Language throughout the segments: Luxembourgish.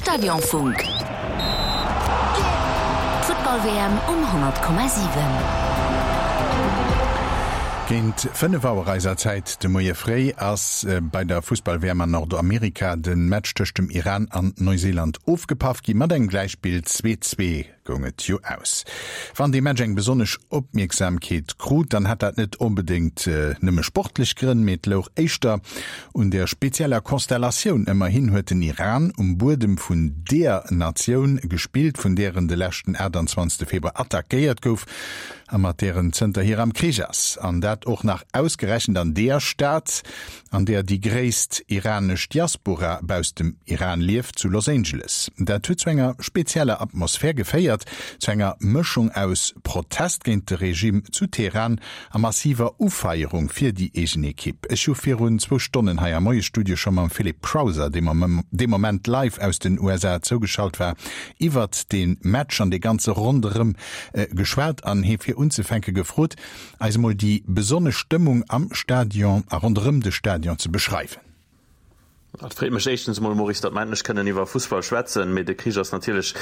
Stadionfunk. D'Futtball-WM um 100,7. Géint 5 Auer eiser Zäit de Moie fréi ass bei der Fussball-WM an Nordamerika de Match tëscht dem Iran an Neuseeland ofgepaff gi mat engem Gläichspill, 2, 2. goung et jo aus. Wann dee Match eng besonnesch Opmierksamkeet krut, dann hat dat net onbedéngt nëmme sportlech Grënn, mee et louch éischter un der spezieller Konstellatioun. Ëmmerhin huet den Iran um Buedem vun deer Natioun gespillt, vun där en de leschten 28 Februar attackéiert gouf a mat där en zënterhier am Krich ass. An dat och nach ausgerechent an deer Stad, an där déi gréisst iranesch Diaspora bausst dem Iran lieft, zu Los Angeles. Dat huet zu enger spezieller Atmosphär geféiert, zu enger Mëschung aus Protest géint de Regime zu Teheran a massiver Ufeierung fir déi eegen Ekipp. Ech hu virun zwou Stonnen hei am Moiesstudio scho mam Philippe Crowther, dee Moment live aus den USA zougeschalt war, iwwert dee Match an dee ganze Ronderëm geschwat an hie fir unzefänke gefrot, eis emol déi besonnesch Stëmmung am Stadion a ronderëm de Stadion ze beschreiwen. Et freet mech éischtens emol, Maurice, datt mer endlech kënnen iwwer Fussball schwätzen. Mee de Krich ass natierlech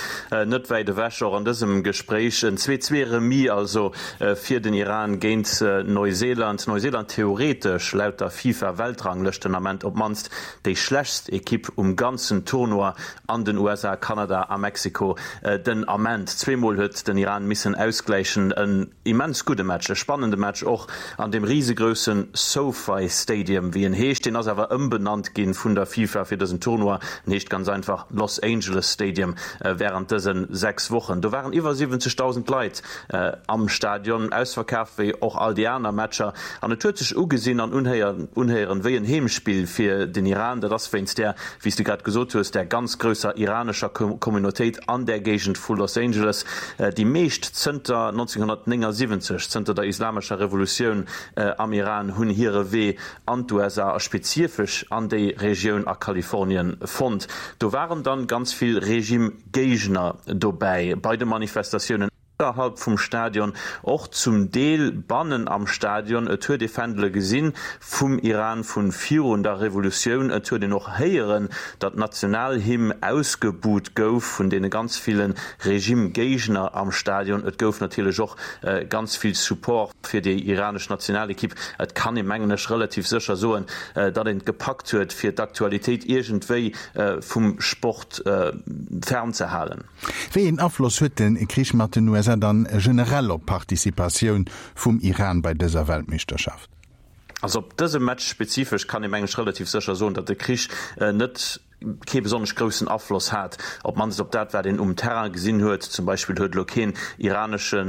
net wäit ewech, och an dësem Gespréich. En 2, 2 Remis also fir den Iran géint Neuseeland. Neuseeland theoretesch laut der FIFA-Weltranglëscht den Ament op d'mannst déi schlechtst Ekipp um ganzen Tournoi an den USA, Kanada a Mexiko den Ament. Zweemol huet den Iran missen ausgläichen. En Immens gudde Match, e spannende Match och an deem risegrousse SoFi Stadium, wéi en heescht. Deen ass awer ëmbenannt ginn vun der FIFA fir dësen Tournoi. En heescht ganz einfach Los Angeles Stadium wärend dëse 6 Wochen. Do waren iwwer 70.000 Leit am Stadion, ausverkaaft wéi och all déi aner Matcher. An et huet sech ugesinn an unhéieren wéi en Heemspill fir den Iran. Dat ass wéinst där wéi s de grad gesot hues, där ganz grousser iranescher Communautéit an där Géigend vu Los Angeles, déi meescht zënter 1979, zënter der islamescher Revolutioun am Iran, hunn hire Wee an d'USA a spezifesch an déi Regioun a Kalifornien fonnt. Do waren dann ganz vill Regime-Géigner dobäi bei de Manifestatiounen. Ausserhalb vum Stadion, och zum Deel bannen am Stadion. Et huet ee Fändele gesinn vum Iran vu virun der Revolutioun. Et huet een och héieren, datt d'Nationalhymn ausgebuht gouf vun deene ganz ville Regime-Géigner am Stadion. Et gouf natierlech och ganz vill Support fir déi iranesch Nationalekipp. Et kann ee mengen ech relativ sécher soen, datt een et gepackt huet, fir d'Aktualitéit iergendwéi vum Sport fernzehalen. Wéi een Afloss huet de Krich mat den USA dann generell op d'Participatioun vum Iran bei dëser Weltmeeschterschaft? Also op dëse Match spezifesch kann ee meng ech relativ sécher soen, datt de Krich net kee besonnesch groussen Afloss hat, op d'mannst op dat wat een um Terrain gesinn huet. Zum Beispill huet elo keen iranesche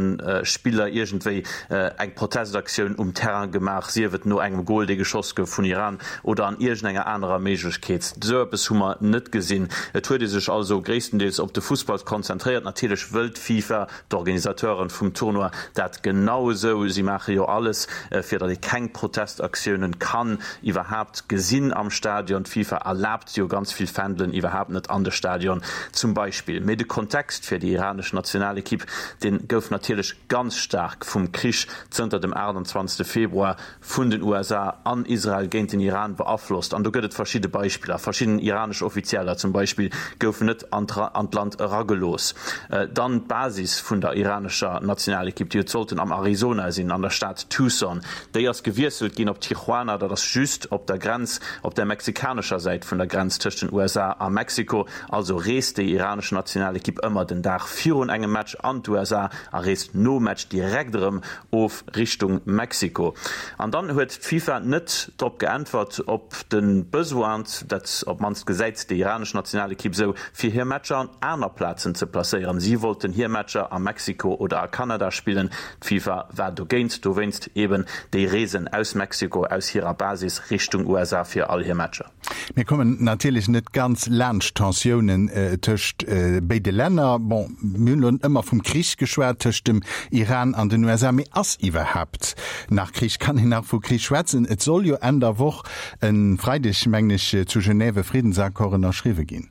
Spiller iergendwéi eng Protestaktioun um Terrain gemaach, sief et no engem Gol dee geschoss gouf vun Iran oder an iergendenger anerer Méiglechkeet. Esou eppes hu mer net gesinn. Et huet ee sech also gréisstendeels op de Fussball konzentréiert. Natierlech wëll d'FIFA, d'Organisateuren vum Tournoi, dat genau esou. Si maache jo alles, fir datt ee keng Protestaktiounen kann iwwerhaapt gesinn am Stadion. D'FIFA erlaabt jo ganz vill Fändelen iwwerhaapt net an de Stadion zum Beispill. Mee de Kontext fir déi iranesch Nationalekipp, dee gouf natierlech ganz staark vum Krich zënter dem 28 Februar vun den USA an Israel géint den Iran beaflosst. An do gëtt et verschidde Beispiller. Verschidden iranesch Offizieller zum Beispill goufen net an d'Land eragelooss. Dann d'Basis vun der iranescher Nationalekipp, déi huet sollten am Arizona sinn, an der Stad Tucson. Déi ass gewiesselt ginn op Tijuana, dat ass just op der Grenz, op der mexikanescher Säit vun der Grenz tëscht den USA a Mexiko. Also reest déi iranesch Nationalekipp ëmmer den Dag virun engem Match an d'USA a reest nom Match direkt erëm of Richtung Mexiko. An dann huet d'FIFA net drop geäntwert, ob de Besoin, dat op d'mannst gesäit déi iranesch Nationalekipp esou, fir hir Matcher an aner Plazen ze placéieren. Si wollten hir Matcher a Mexiko oder a Kanada spillen. D'FIFA war dogéint, dowéinst eben déi Reesen aus Mexiko, aus hirer Basis Richtung USA fir all hir Matcher. Mir kommen natierlech net ganz laanscht d'Tensiounen tëscht béide Länner. Bon, mir hunn elo ëmmer vum Krich geschwat tëscht dem Iran an den USA, mee ass iwwerhaapt nach Krich? Kann een nach vu Krich schwätzen? Et soll jo Enn der Woch, e Freideg mengen ech, zu Genève e Friddensaccord ënnerschriwwe ginn.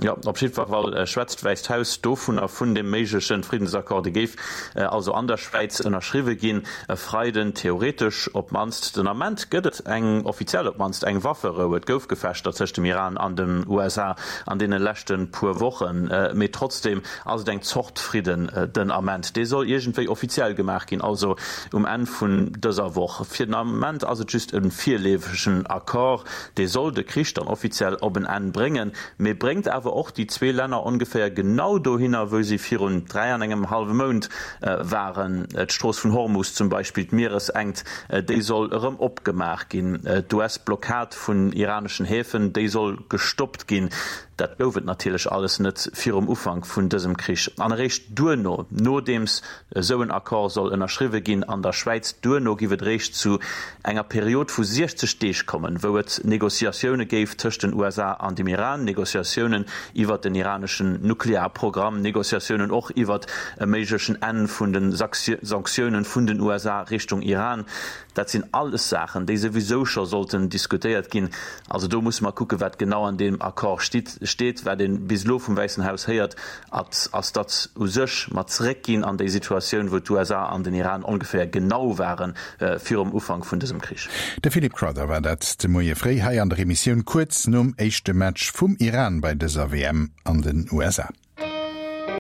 Jo, op jiddwer Fall schwätzt d'Wäisst Haus dovunner, vun deem méigleche Friddensaccord. Dee géif also an der Schwäiz ënnerschriwwe ginn e Freiden, theoretesch op d'mannst. Den Ament gëtt et eng, offiziell op d'mannst, eng Wafferou. Et gouf Gefechter tëscht dem Iran an den USA an deene leschte puer Wochen, mee trotzdeem ass et eng Zort Fridden den Ament. Dee soll iergendwéi offiziell gemaach ginn, also um Enn vun dëser Woch. Fir den Ament ass et just e virleefegen Accord. Dee soll de Krich dann offiziell op en Enn bréngen. Mee bréngt awer och déi zwee Länner ongeféier genau dohinner, wou si virun 3 an engem hallwe Mount waren. D'Strooss vun Hormus zum Beispill, d'Mieresenkt, déi soll erëm opgemaach ginn. D'US-Blockad vun iraneschen Häfen, déi soll gestoppt ginn. Dat gouf et natierlech alles net virum Ufank vun dësem Krich. An eréischt duerno, nodeems Esou en Accord soll ënnerschriwwe ginn an der Schwäiz. Duerno giff et eréischt zu enger Period vu 60 Deeg kommen, wou et Negociatioune géif tëscht den USA an dem Iran, Negociatiounen iwwert den iraneschen Nuklearprogramm, Negociatiounen och iwwert e méiglechen Enn vun de Sanktiounen vun den USA Richtung Iran. Dat sinn alles Saachen, déi souwisou scho sollten diskutéiert ginn. Also do musse mer kucken, wat genau an deem Accord steet. Wat ee bis elo vum Wäissen Haus héiert, ass, datt u sech mer zeréckginn an déi Situatioun, wou d'USA an den Iran ongeféier genau ware virum Ufank vun dësem Krich. De Philip Crowther war dat de Moie fréi hei an der Emissioun kuerz nom éischte Match vum Iran bei dëser WM an den USA.